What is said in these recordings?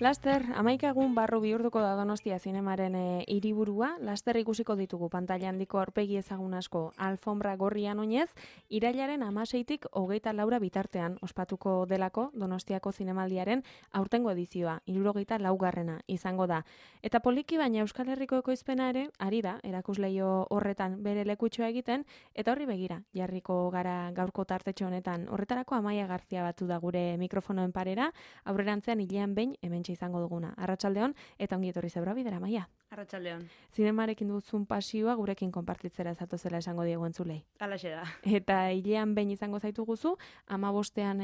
Laster, 11 egun barru bihurtuko da Donostia zinemaren hiriburua. Laster ikusiko ditugu pantaila handiko aurpegi ezagun asko alfombra gorrian oinez, irailaren 16tik 24 bitartean ospatuko delako Donostiako zinemaldiaren aurtengo edizioa, 74garrena izango da. Eta poliki baina Euskal Herriko ekoizpena ere ari da erakusleio horretan bere lekutxoa egiten, eta horri begira jarriko gara gaurko tartetxo honetan. Horretarako Amaia Garzia batu da gure mikrofonoen parera, aurrerantzean hilean behin hementxe izango duguna. Arratsaldeon eta ongi etorri zebra bidera, Amaia. Arratsaldeon. Zinemarekin duzun pasioa gurekin konpartitzera zatozela esango diegu entzulei. Halaxe da. Eta hilean behin izango zaitu guzu, 15ean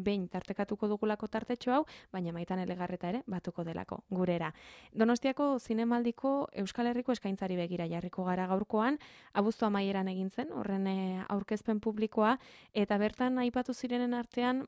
behin tartekatuko dugulako tartetxo hau, baina maitan elegarreta ere batuko delako gurera. Donostiako zinemaldiko Euskal Herriko eskaintzari begira jarriko gara gaurkoan, abuztu amaieran egin zen, horren aurkezpen publikoa, eta bertan aipatu zirenen artean,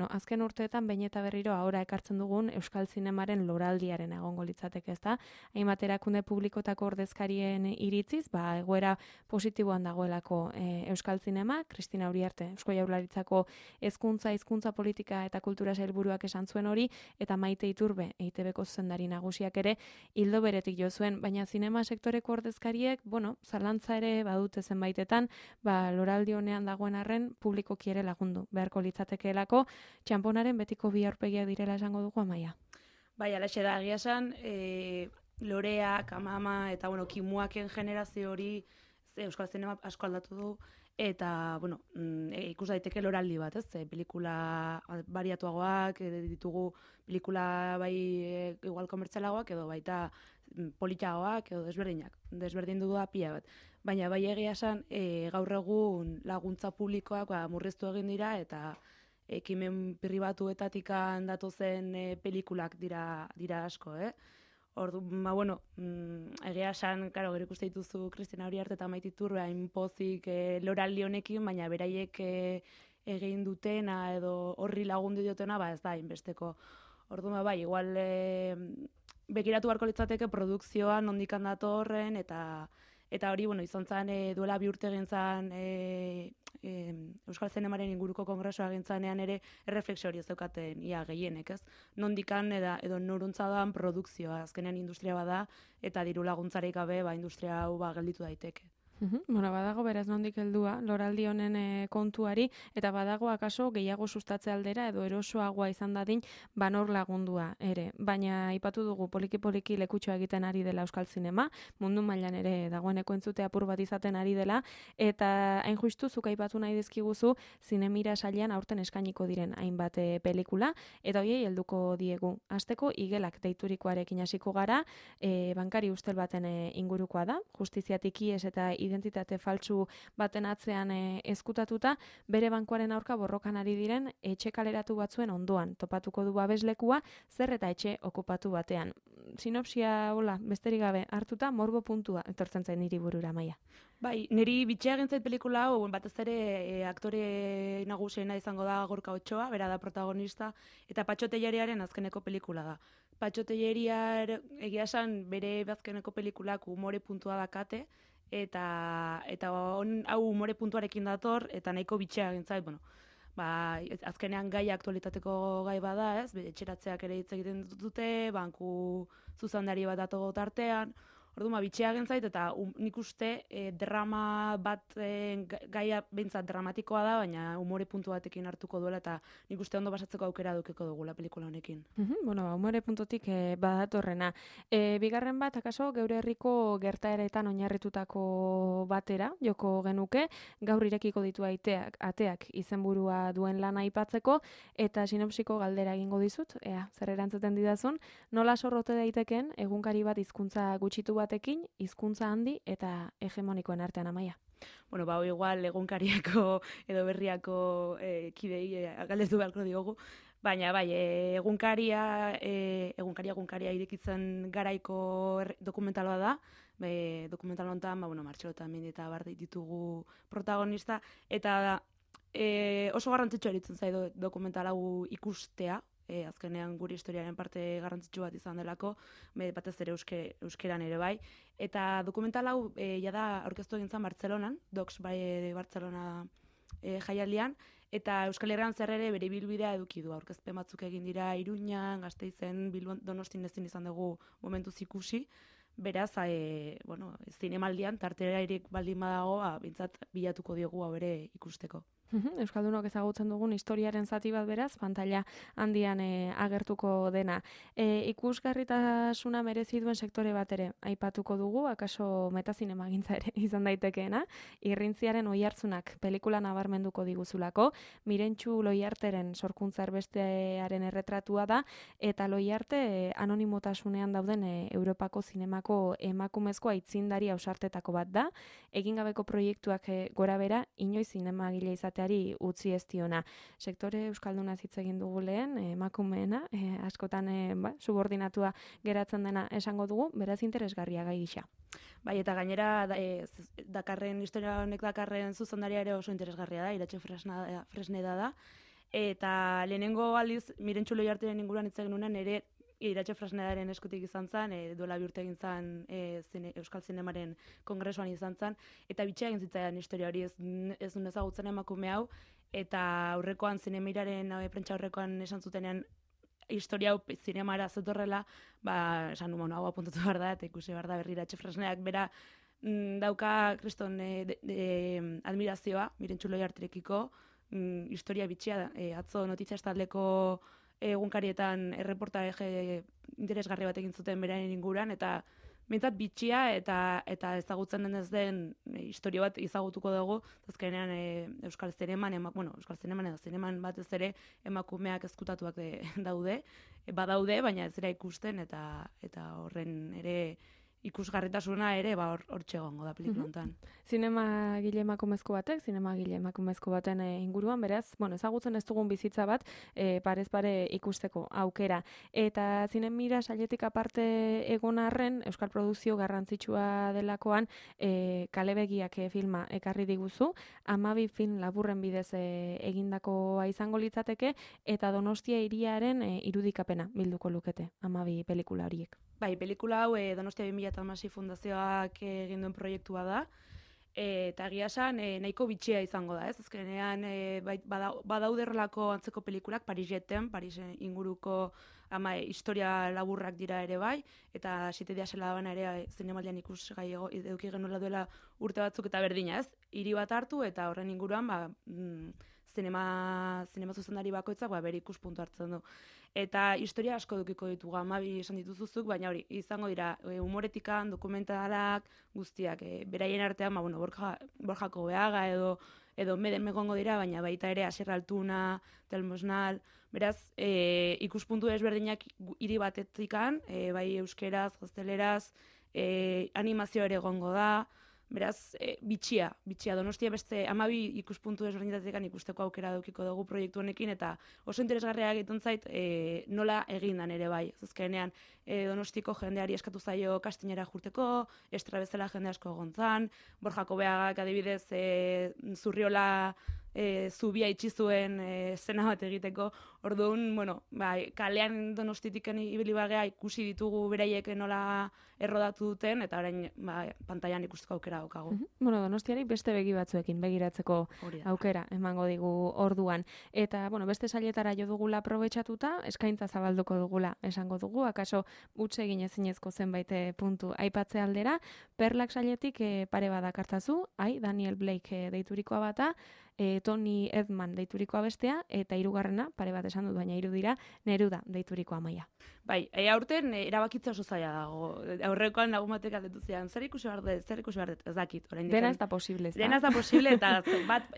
azken urteetan behin eta berriro ahora ekartzen dugun Euskal Zinemaren loraldiaren egongo litzateke, ezta? Hainbat erakunde publikotako ordezkarien iritziz, egoera positiboan dagoelako Euskal Zinema, Kristina Uriarte, Eusko Jaurlaritzako hizkuntza politika eta kultura sailburuak esan zuen hori, eta Maite Iturbe, EITBko zuzendari nagusiak ere ildo beretik jo zuen, baina zinema sektoreko ordezkariek, zalantza ere badute zenbaitetan, loraldi honean dagoen arren publikoki ere lagundu beharko litzatekeelako, txanponaren betiko bi aurpegiak direla esango dugu, Amaia. Bai, alaxe da, egia esan, Lorea, Kamama eta Kimuaken generazio hori Euskal Zinema asko aldatu du, eta ikus daiteke loraldi bat, ez? Pelikula bariatuagoak, ditugu pelikula bai igual komertzialagoak edo baita politagoak edo desberdinak. Desberdin du da pila bat. Baina bai egia esan gaur egun laguntza publikoak murriztu egin dira eta ekimen pribatuetatik datozen pelikulak dira asko, Ordu, egia esan, gero ikuste dituzu Kristina Uriarte eta Maite Iturbe hain pozik loraldi honekin, baina beraiek egin dutena edo horri lagundu diotena, ez da hainbesteko. Ordu, igual begiratu beharko litzateke produkzioa nondikan datorren, eta hori, izan zen, duela bi urte egin zen Euskal Zinemaren inguruko kongresoa egin zenean ere erreflexio hori ez daukaten ia gehienek, ez? Nondikan edo noruntza doan produkzioa, azkenean industria bada, eta diru laguntzarik gabe industria hau gelditu daiteke. Badago beraz nondik heldua loraldi honen kontuari, eta badago akaso gehiago sustatze aldera edo erosoagoa izan dadin banor lagundua ere. Baina aipatu dugu poliki-poliki lekutxoa egiten ari dela Euskal Zinema, mundu mailan ere dagoeneko entzute apur bat izaten ari dela, eta hain justu zuk aipatu nahi dizkiguzu Zinemira sailean aurten eskainiko diren hainbat pelikula, eta hoiei helduko diegu. Hasteko igelak deiturikoarekin hasiko gara, bankari ustel baten ingurukoa da, justiziatik ihes eta identitate faltsu baten atzean ezkutatuta, bere bankuaren aurka borrokan ari diren etxe kaleratu batzuen ondoan topatuko du babeslekua, zer eta etxe okupatu batean. Sinopsia, besterik gabe hartuta, morbo puntua etortzen zain niri burura, Amaia. Bai, niri bitxea gintzait pelikula hau, batez ere aktore nagusiena izango da Gorka Otxoa, bera da protagonista, eta Patxo Telleriaren azkeneko pelikula da. Patxo Telleriar egia esan bere azkeneko pelikulak umore puntua dakate, eta hau umore puntuarekin dator, eta nahiko bitxea gintzait, azkenean gai aktualitateko gai bada, ez? Etxeratzeak ere hitz egiten dute, banku zuzendari bat dago tartean, orduan bitxea gintzait, eta nik uste drama bat gaia behintzat dramatikoa da, baina umore puntu batekin hartuko duela, eta nik uste ondo basatzeko aukera dukeko dugula pelikula honekin. Umore puntutik badatorrena. Bigarren bat, akaso, geure herriko gertaeretan oinarritutako batera, joko genuke, gaur irekiko ditu ateak izenburua duen lana aipatzeko, eta sinopsiko galdera egingo dizut, zer erantzuten didazun, nola sorrote daiteken egunkari bat hizkuntza gutxitu batekin, hizkuntza handi eta hegemonikoen artean, Amaia. Igual egunkariako edo berriako kidei galdetu beharko diogu, baina egunkaria irekitzen garaiko dokumentala da, dokumental honetan, Martxelo eta Mendi eta bar ditugu protagonista, eta oso garrantzitsua eritzen zaido dokumental hau ikustea, azkenean guri historiaren parte garrantzitsu bat izan delako, batez ere euskeran ere bai. Eta dokumental hau jada aurkeztu egin zen Bartzelonan, Docs bai Bartzelona jaialdian, eta Euskal Herrian zer ere bere ibilbidea eduki du. Aurkezpen batzuk egin dira Iruñan, Gasteizen, Bilbon, Donostin ezin izan dugu momentuz ikusi. Beraz, zinemaldian tarterairik baldin badago, bintzat bilatuko diogu hau ere ikusteko. Euskaldunok ezagutzen dugun historiaren zati bat beraz, pantalla handian agertuko dena. Ikusgarritasuna merezi duen sektore bat ere aipatuko dugu, akaso metazinemagintza ere izan daitekeena, Irrintziaren oihartzunak pelikula nabarmenduko diguzulako, Mirentxu Loiarteren sorkuntza erbestearen erretratua da, eta Loiarte anonimotasunean dauden Europako zinemako emakumezko aitzindari ausartetako bat da, egin gabeko proiektuak gora bera, inoiz zinemagile izatea utzi ez diona. Sektore euskalduna hitz egin dugu lehen, emakumeena, askotan subordinatua geratzen dena esango dugu, beraz interesgarria gai gisa. Bai, eta gainera dakarren historia honek dakarren zuzendaria ere oso interesgarria da, Iratxe Fresneda da, eta lehenengo aldiz Mirentxu Loiarteren inguruan hitz egin nuenean ere Iratxe Fresnedaren eskutik izan zen, duela bi urte egin zen Euskal Zinemaren kongresuan izan zen, eta bitxea egin zitzaidan historia hori ez duen ezagutzen emakume hau, eta aurrekoan zinemiraren prentsa aurrekoan esan zutenean historia hau zinemara zetorrela, esan nuen hau apuntatu behar da, eta ikusi behar da berri Iratxe Fresnedak bera dauka kriston admirazioa, Mirentxu Loiarterekiko, historia bitxea, atzo notizia estaldeko egunkarietan erreportaje interesgarri bat egin zuten beraren inguruan, eta bintzat bitxia eta ezagutzen denez den historia bat ezagutuko dugu, azkenean Euskal Zineman edo zineman batez ere emakumeak ezkutatuak badaude, baina ez dira ikusten, eta horren ere ikusgarritasuna ere hortxe egongo da pelikula hontan. Zinemagile emakumezko baten inguruan, beraz, ezagutzen ez dugun bizitza bat parez pare ikusteko aukera. Eta zinemira sailetik aparte egon arren, euskal produkzio garrantzitsua delakoan Kalebegiak filma ekarri diguzu, 12 film laburren bidez egindakoa izango litzateke, eta Donostia hiriaren irudikapena bilduko lukete 12 pelikula horiek. Bai, pelikula hau Donostia 2016 fundazioak egin duen proiektua da, eta egia esan nahiko bitxia izango da, ez? Azkenean badauderrelako antzeko pelikulak, Pariseten, Parisen inguruko historia laburrak dira ere bai, eta 7 dia zela dabana ere zinemaldian ikusgai eduki genuela duela urte batzuk eta berdina, ez? Hiri bat hartu eta horren inguruan zinema zuzendari bakoitzak bere ikuspuntu hartzen du. Eta historia asko edukiko ditugu, 12 esan dituzuzuk, baina hori, izango dira humoretikan, dokumentalak, guztiak, beraien artean, Borjako Beaga edo Meden megongo dira, baina baita ere Asier Altuna, Telmosnal, beraz, ikuspuntu ezberdinak hiri batetikan, bai euskeraz, gazteleraz, animazio ere egongo da, beraz, bitxia, Donostia beste 12 ikuspuntu ezberdinetatik ikusteko aukera edukiko dugu proiektu honekin, eta oso interesgarria egiten zait nola egin dan ere bai. Azkenean Donostiko jendeari eskatu zaio kastinera jurteko, Estra bezala jende asko egon zan, Borjako Beagak adibidez Zurriola zubia itxi zuen zena bat egiteko, orduan, kalean Donostitiken ibili bagea ikusi ditugu beraiek nola errodatu duten, eta orain pantailan ikusteko aukera daukagu. Donostiari beste begi batzuekin begiratzeko aukera emango digu orduan. Eta, beste sailetara jo dugula aprobetxatuta, eskaintza zabalduko dugula esango dugu, akaso utz egin ezinezko zenbait puntu aipatze aldera, Perlak sailetik pare badak hartazu, Daniel Blake deiturikoa bata, Tony Edman deiturikoa bestea, eta hirugarrena, pare bat esan dut, baina 3 dira, Neruda deiturikoa Amaia. Bai, aurten erabakitza oso zaila dago. Aurrekoan lagun batek aldetu zian, zer ikusi behar dut, ez dakit. Dena ez da posible, ez da? Dena ez da posible, eta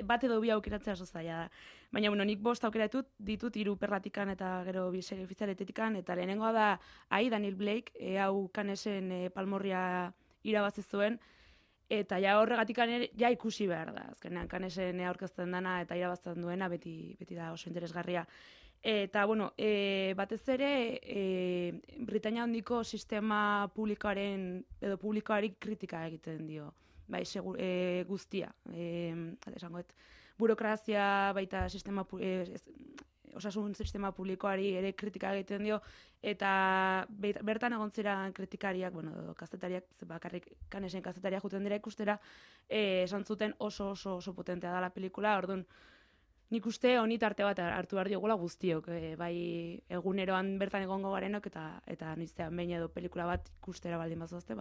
bat edo bi aukeratzea oso zaila da. Baina, nik 5 aukeratut ditut 3 Perlatikan eta gero 2 serie ofizialetetikan, eta lehenengoa da, Daniel Blake, hau Canesen Palmorria irabazi zuen, eta horregatik ikusi behar da. Azkenean Canesen aurkezten dana eta irabazten duena beti da oso interesgarria. Eta, batez ere, Britainia handiko sistema publikoari kritika egiten dio. Bai, guztia. Burokrazia, baita osasun sistema publikoari ere kritika egiten dio, eta bertan egon ziren kritikariak, kazetariak, bakarrik Canesen kazetariak juten dira ikustera, esan zuten oso potentea dela pelikula, orduan, nik uste honi tarte bat hartu behar diogula guztiok, bai eguneroan bertan egongo garenok eta noiztean behin edo pelikula bat ikustera baldin bazazte,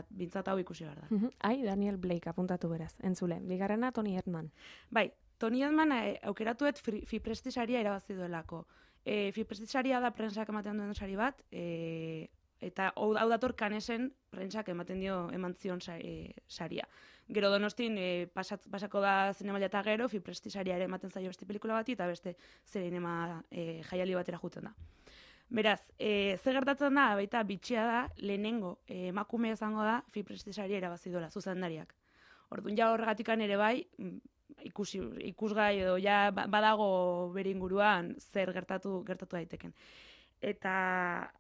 bintzat hau ikusi behar da. Ai, Daniel Blake apuntatu beraz, entzule. Bigarrena Tony Erdmann. Bai, Tony Erdmann aukeratuet Fipresti saria irabazi duelako. Fipresti saria da prentsak ematen duen sari bat, eta hau dator Canesen prentsak eman zion saria. Gero Donostin pasako da Zinemaldia eta gero, Fipresti saria ere ematen zaio beste pelikula bati, eta beste zinema jaialdi batera juten da. Beraz, ze gertatzen da, baita bitxia da, lehenengo emakume izango da Fipresti saria irabazi duela, zuzendariak. Orduan ja horregatikan ere bai, ikusgai edo ja badago bere inguruan zer gertatu daiteken. Eta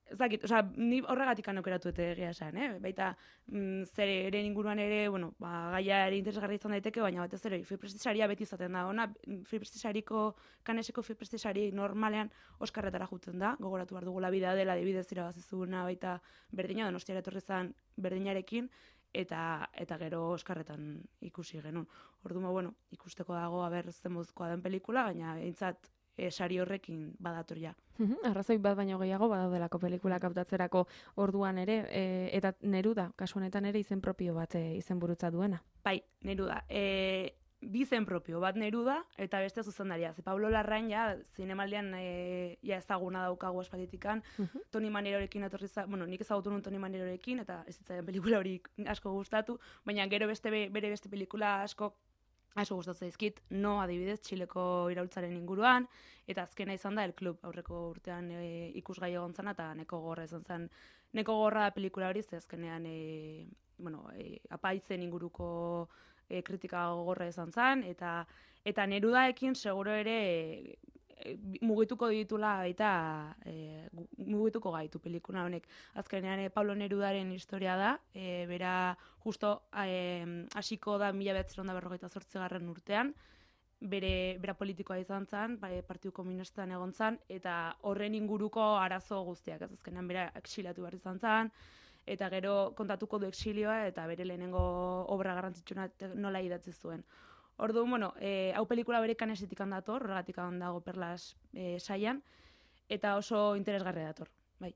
ez dakit, ni horregatik aukeratu dute egia esan, baita zer ere inguruan ere, gaia ere interesgarri izan daiteke, baina batez ere Fipresti saria beti izaten da. Ona, Fipresti sariko, Caneseko Fipresti sari normalean Oskarretara juten da, gogoratu behar dugula bidea dela, adibidez irabazizuna baita berdina, Donostiara etorri zen berdinarekin, eta gero Oskarretan ikusi genuen. Orduan, ikusteko dago aber zen moduzkoa den pelikula, baina behintzat sari horrekin badator ja. Arrazoi bat baino gehiago badaudelako pelikulak hautatzerako orduan ere, eta Neruda, kasu honetan ere izen propio bat izenburutza duena. Bai, Neruda. Bi izen propio, bat Neruda eta beste zuzendaria. Ze Pablo Larrain ja zinemaldian ja ezaguna daukagu aspalditikan. Toni Manerorekin etorri nik ezagutu nuen Toni Manerorekin eta ez zitzaidan pelikula hori asko gustatu, baina gero bere beste pelikula asko gustatzen zaizkit, No adibidez, Txileko iraultzaren inguruan, eta azkena izan da El Club, aurreko urtean ikusgai egon zana, eta neko gorra izan zen. Neko gorra da pelikula hori, ze azkenean apaitzen inguruko kritika gogorra izan zen, eta Nerudaekin seguro ere mugituko ditula eta mugituko gaitu pelikula honek. Azkenean Pablo Nerudaren historia da, bera justo hasiko da 1948 urtean, bera politikoa izan zen, Partidu Komunistan egon zen, eta horren inguruko arazo guztiak, azkenean bera exiliatu behar izan zen, eta gero kontatuko du exilioa eta bere lehenengo obra garrantzitsuna nola idatzi zuen. Orduan, hau pelikula bere Canesetik dator, horregatik dago Perlas saian, eta oso interesgarria dator. Bai.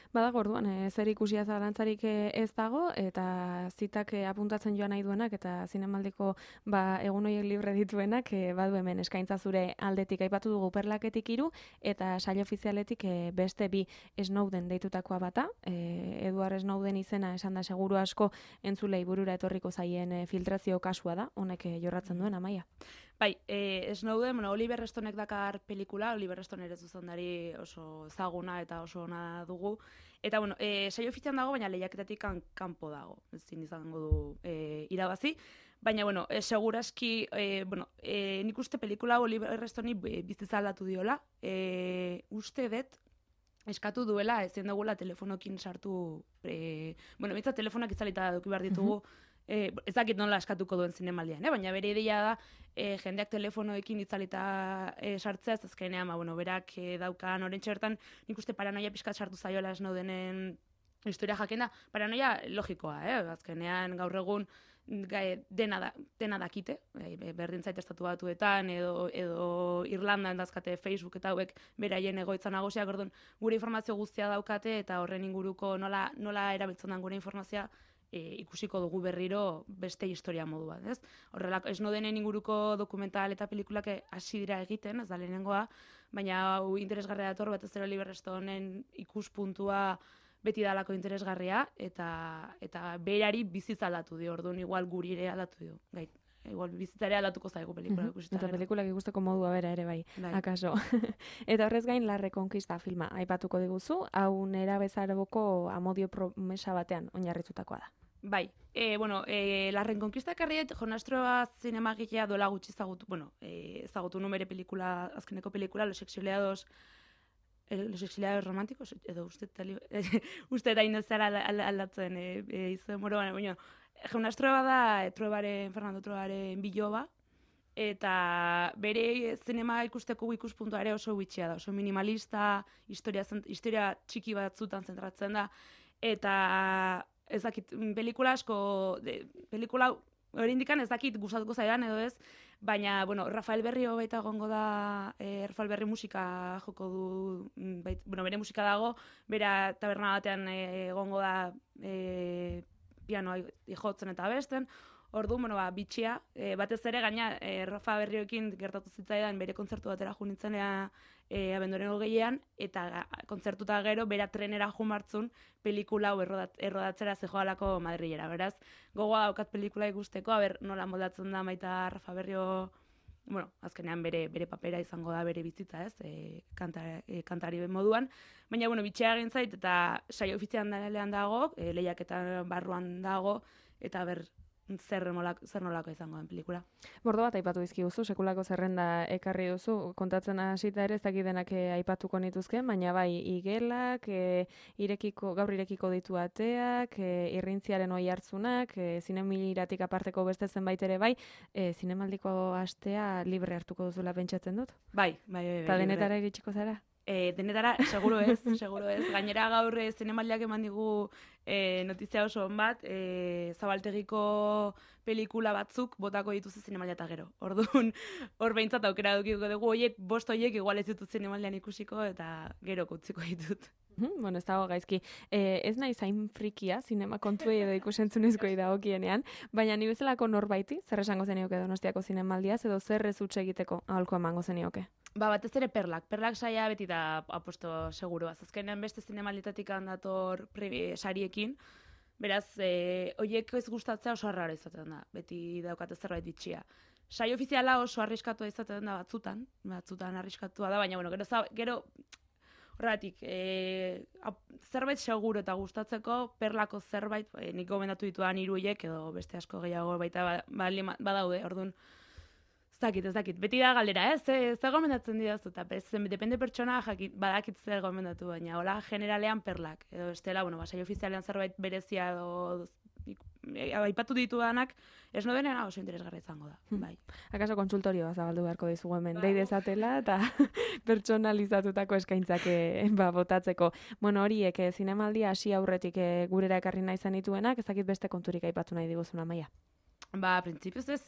Badago orduan, zer ikusia zalantzarik ez dago, eta zitak apuntatzen joan nahi duenak, eta zinemaldiko egun horiek libre dituenak, badu hemen eskaintza zure aldetik aipatu dugu Perlaketik 3, eta sail ofizialetik beste 2 Snowden deitutakoa bata, Edward Snowden izena esan da seguru asko entzulei burura etorriko zaien filtrazio kasua da, honek jorratzen duen, Amaia. Bai, Snowden, Oliver Stonek dakar pelikula, Oliver Stone ere zuzendari oso ezaguna eta oso ona dugu. Eta, saio ofizian dago, baina lehiaketatik kanpo dago, ezin izango du irabazi. Baina, seguraski, nik uste pelikula Oliver Stone bizitza aldatu diola. Uste dut, eskatu duela, ezin dugula telefonokin sartu, mitza telefonak itzalita duki behar ditugu, ez dakit nola eskatuko duen zinemaldian, baina bere ideia da jendeak telefonoekin itzalita sartzea, ez azkenean, berak daukan orentxe bertan, nik uste paranoia pixkat sartu zaiola Snowdenen historia jakenda, paranoia logikoa, azkenean gaur egun dena dakite, berdin zait estatu batuetan edo Irlandan dazkate Facebook eta hauek beraien egoitza nagusiak, orduan gure informazio guztia daukate eta horren inguruko nola erabiltzen den gure informazioa ikusiko dugu berriro beste historia modu bat, ez? Horrelako, Snowdenen inguruko dokumental eta pelikulak hasi dira egiten, ez da lehenengoa, baina hau interesgarria dator, batez ere Oliver Stoneen ikuspuntua beti dalako interesgarria, eta berari bizitza aldatu dio, orduan igual guri ere aldatu dio, igual bizitzare aldatuko zaigu pelikula ikusita. Eta pelikulak ikusteko modua bera ere bai, akaso. Eta horrez gain La Reconquista filma aipatuko diguzu, hau nera bezaroko amodio promesa batean oinarritutakoa da. Bai, La Reconquista karriet Jonastroa zinemagilea duela gutxi ezagutu numere pelikula, azkeneko pelikula, Los exiliados románticos, edo uste eta inozara aldatzen izan moro, baina, Jonastroa da Fernando Truebaren biloba, eta bere zinema ikusteko ikuspuntua ere oso bitxia da, oso minimalista, historia txiki batzutan zentratzen da, eta ez dakit, pelikula asko, pelikula hori indikan ez dakit gustatuko zaidan edo ez, Baina, bueno, Rafael Berrio baita egongo da, Rafael Berri musika joko du, bere musika dago, bera taberna batean egongo da pianoa jotzen eta besten. Ordu, bitxia, batez ere gaina Rafa Berrioekin gertatu zitzaidan bere kontzertu batera jo nintzenea abenduaren 20an, eta kontzertuta gero bera trenera jo martzun pelikula hau errodatzera zejoalako Madrilera. Beraz, gogoa daukat pelikula ikusteko, nola moldatzen da baita Rafa Berrio, azkenean bere papera izango da bere bizitza, ez? Kantari moduan. Baina, bitxea egin zait, eta saio ofizialean dago, lehiaketa barruan dago, eta zer nolako izango den pelikula. Bordo bat aipatu dizkiguzu, sekulako zerrenda ekarri duzu, kontatzen hasita ere ez dakidenak aipatuko nituzken, baina bai, igelak, gaur irekiko ditu ateak, irrintziaren oi hartzunak, zinemiratik aparteko beste zenbait ere bai, zinemaldiko astea libre hartuko duzula pentsatzen dut? Bai. Eta denetara iritsiko zara? Denetara, seguro ez. Gainera gaur zinemaldiak eman digu notizia oso on bat, Zabaltegiko pelikula batzuk botako dituzte zinemaldia eta gero. Orduan, hor behintzat aukera dukiko dugu, bost horiek igual ez ditut zinemaldian ikusiko eta gero kutziko ditut. Ez dago gaizki. Ez nahi zain frikia, zinema kontuei edo ikusentzunezkoei dagokienean, baina ni bezalako norbaiti, zer esango zenioke Donostiako zinemaldiaz, edo zer ez utxe egiteko aholko emango zenioke? Batez ere perlak. Perlak saia beti da aposto seguro. Azkenean beste zinemalditatik handator sariekin, beraz, horiek ez gustatzea oso arraro izaten da. Beti daukate zerbait bitxia. Saio ofiziala oso arriskatua izaten da batzutan arriskatua da, baina, gero horregatik, zerbait seguro eta gustatzeko perlako zerbait, nik gomendatu ditudan 3 horiek, edo beste asko gehiago baita badaude, orduan, ez dakit. Beti da galdera, ez da gomendatzen didazu, eta depende pertsona badakit zer gomendatu, baina hola generalean perlak. Edo estela, saio ofizialean zerbait berezia edo aipatu ditudanak, ez nodenean oso interesgarri izango da. Bai. Akaso konsultorioa zabaldu beharko dizugu hemen, dei dezatela eta pertsonalizatutako eskaintzak botatzeko. Horiek zinemaldia hasi aurretik gurera ekarri nahi zen dituenak, ez dakit beste konturik aipatu nahi diguzun, Amaia. Printzipioz ez,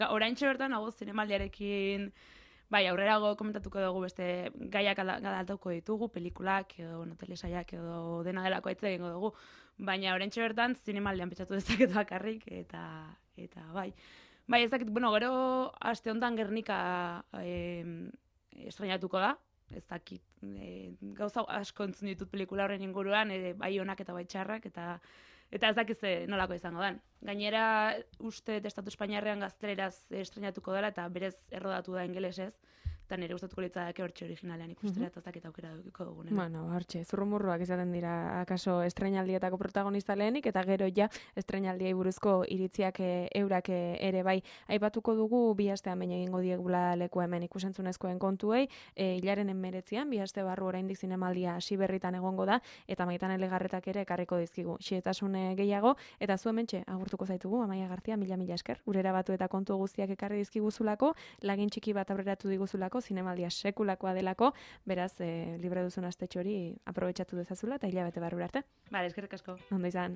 oraintxe bertan hau zinemaldiarekin, aurrerago komentatuko dugu beste gaiak aldatuko ditugu, pelikulak edo telesaiak edo dena delako aitze egingo dugu, baina oraintxe bertan zinemaldian pentsatu dezaket bakarrik, eta bai. Ez dakit, gero aste honetan Gernika estrenatuko da, ez dakit, gauza asko entzun ditut pelikula horren inguruan, bai onak eta bai txarrak, eta ez dakiz nolako izango dan. Gainera, uste Estatu Espainiarrean gazteleraz estrenatuko dela, eta berez errodatu da ingelesez, eta nire gustatuko litzateke hortxe originalean ikustera, eta ez dakit aukera dukiko dugunen. Hortxe, zurrumurruak izaten dira, akaso estrenaldietako protagonista lehenik, eta gero ja estrenaldiei buruzko iritziak eurak ere bai. Aipatuko dugu, 2 astean baina egingo diegula leku hemen ikusentzunezkoen kontuei, hilaren 19an, 2 aste barru oraindik zinemaldia hasi berritan egongo da, eta Maitane Legarretak ere ekarriko dizkigu xehetasun gehiago, eta zu hementxe agurtuko zaitugu, Amaia Garcia, mila esker, gurera batu eta kontu guztiak ekarri dizkiguzulako, lagin txiki bat aurreratu diguzulako, zinemaldia sekulakoa delako, beraz, libre duzun astetxo hori aprobetxatu dezazula, eta hilabete barrura arte. Eskerrik asko. Ondo izan.